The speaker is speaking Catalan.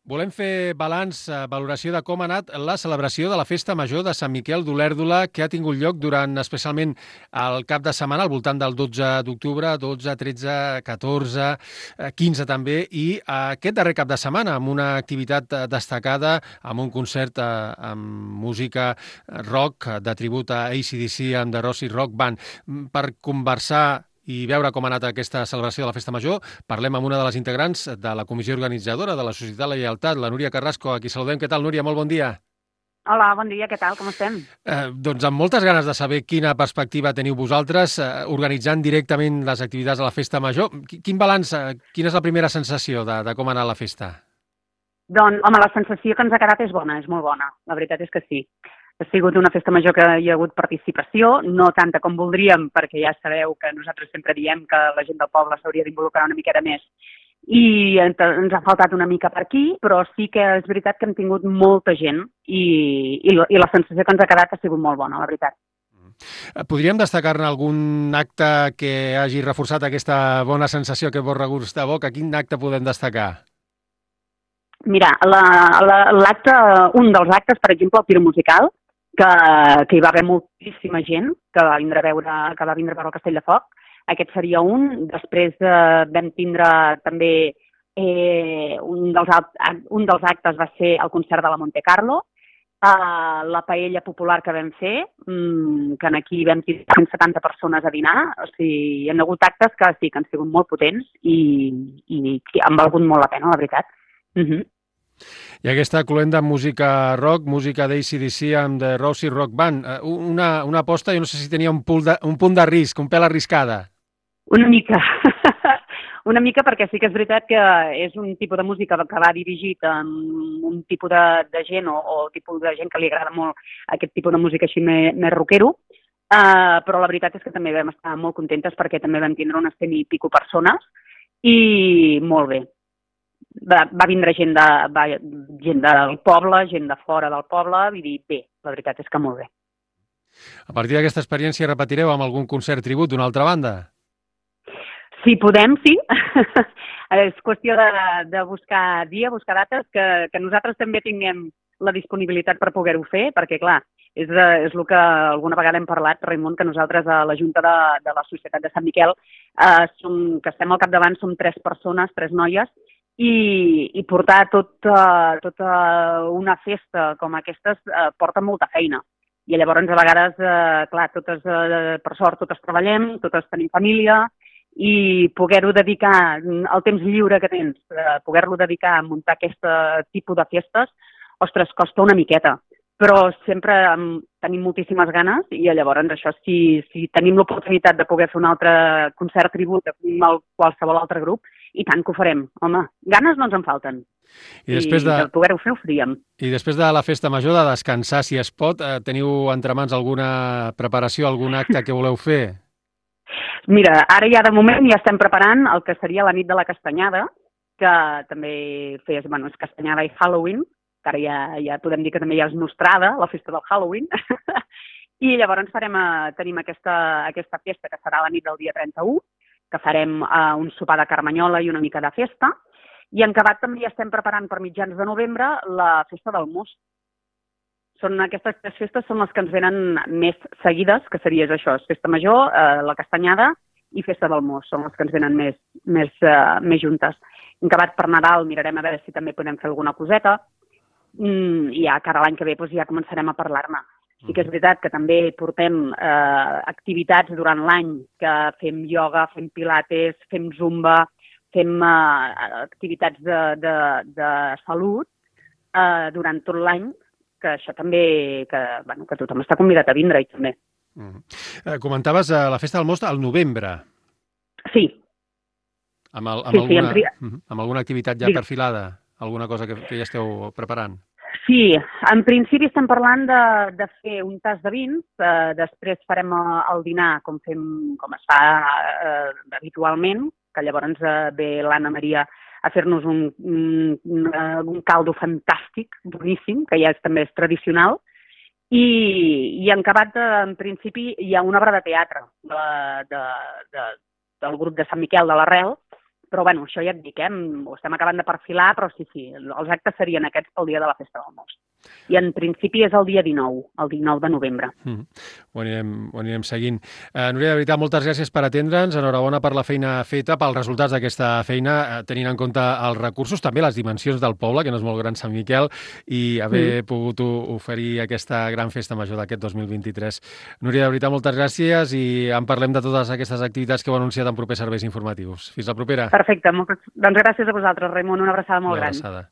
Volem fer balanç, valoració de com ha anat la celebració de la Festa Major de Sant Miquel d'Olèrdola, que ha tingut lloc durant especialment el cap de setmana, al voltant del 12 d'octubre, 12, 13, 14, 15 també, i aquest darrer cap de setmana, amb una activitat destacada, amb un concert amb música rock de tribut a AC/DC amb The Rossi Rock Band. Per conversar i veure com ha anat aquesta celebració de la Festa Major, parlem amb una de les integrants de la comissió organitzadora de la Societat La Lleialtat, la Núria Carrasco, a qui saludem. Què tal, Núria? Molt bon dia. Hola, bon dia, què tal, com estem? Doncs amb moltes ganes de saber quina perspectiva teniu vosaltres organitzant directament les activitats de la Festa Major. Quin balanç, quina és la primera sensació de com ha anat la festa? Doncs, home, la sensació que ens ha quedat és bona, és molt bona, la veritat és que sí. Ha sigut una festa major que hi ha hagut participació, no tanta com voldríem, perquè ja sabeu que nosaltres sempre diem que la gent del poble s'hauria d'involucrar una miqueta més, i ens ha faltat una mica per aquí, però sí que és veritat que hem tingut molta gent i la sensació que ens ha quedat ha sigut molt bona, la veritat. Podríem destacar-ne algun acte que hagi reforçat aquesta bona sensació, aquest bon regust de boca? Quin acte podem destacar? Mira, un dels actes, per exemple, el tiro musical, que hi va haver moltíssima gent que va vindre a veure el Castell de Foc. Aquest seria un. Després vam tindre també un dels actes va ser el concert de la Monte Carlo, la paella popular que vam fer, que aquí vam tenir 170 persones a dinar. O sigui, hi ha hagut actes que sí que han sigut molt potents i han valgut molt la pena, la veritat. I aquesta cloenda amb música rock, música d'AC/DC amb The Rossi Rock Band, una aposta, jo no sé si tenia un punt de risc, un pèl arriscada. Una mica, una mica, perquè sí que és veritat que és un tipus de música que va dirigit a un tipus de gent o tipus de gent que li agrada molt aquest tipus de música així més rockero, però la veritat és que també vam estar molt contentes perquè també vam tindre unes 100 i pico persones i molt bé. Va vindre gent del poble, gent de fora del poble, i dir, bé, la veritat és que molt bé. A partir d'aquesta experiència repetireu amb algun concert tribut d'una altra banda? Si podem, sí. És qüestió de buscar dia, buscar dates, que nosaltres també tinguem la disponibilitat per poder-ho fer, perquè, clar, és el que alguna vegada hem parlat, Raimon, que nosaltres a la Junta de la Societat de Sant Miquel, que estem al capdavant, som 3 persones, 3 noies, i portar tota una festa com aquestes porta molta feina. I llavors, a vegades, clar, per sort, totes treballem, totes tenim família, i poder-ho dedicar, el temps lliure que tens, poder-lo dedicar a muntar aquest tipus de festes, ostres, costa una miqueta. Però sempre tenim moltíssimes ganes i llavors això, si tenim l'oportunitat de poder fer un altre concert tribut a qualsevol altre grup, i tant que ho farem. Home, ganes no ens en falten. I de poder-ho fer, ho faríem. I després de la festa major, de descansar, si es pot, teniu entre mans alguna preparació, algun acte que voleu fer? Mira, ara ja de moment ja estem preparant el que seria la nit de la castanyada, que també és castanyada i Halloween, que ara ja podem dir que també ja és nostrada, la festa del Halloween, i llavors tenim aquesta festa que serà la nit del dia 31, que farem un sopar de carmanyola i una mica de festa, i en acabat també ja estem preparant per mitjans de novembre la festa del most. Aquestes 3 festes són les que ens venen més seguides, que seria això, festa major, la castanyada i festa del most, són les que ens venen més juntes. En acabat per Nadal mirarem a veure si també podem fer alguna coseta, i ja cara l'any que ve ja començarem a parlar-ne. Sí que és veritat que també portem activitats durant l'any, que fem ioga, fem pilates, fem zumba, fem activitats de salut durant tot l'any, que això també, que tothom està convidat a vindre-hi també. Comentaves la festa del most al novembre. Sí. Amb alguna activitat ja perfilada? Alguna cosa que ja esteu preparant? Sí, en principi estem parlant de fer un tas de vins, després farem el dinar com es fa habitualment, que llavors ve l'Anna Maria a fer-nos un caldo fantàstic, boníssim, que ja també és tradicional, i en acabat, en principi, hi ha una obra de teatre del grup de Sant Miquel de l'Arrel, Però, bueno, això ja et dic, ho estem acabant de perfilar, però sí, els actes serien aquests pel dia de la Festa del Most. I en principi és el dia 19, el 19 de novembre. Ho anirem seguint. Núria, de veritat, moltes gràcies per atendre'ns. Enhorabona per la feina feta, pels resultats d'aquesta feina, tenint en compte els recursos, també les dimensions del poble, que no és molt gran Sant Miquel, i haver pogut oferir aquesta gran festa major d'aquest 2023. Núria, de veritat, moltes gràcies i en parlem de totes aquestes activitats que heu anunciat en propers serveis informatius. Fins la propera. Perfecte. Doncs gràcies a vosaltres, Raimon. Una abraçada molt gran. Una abraçada.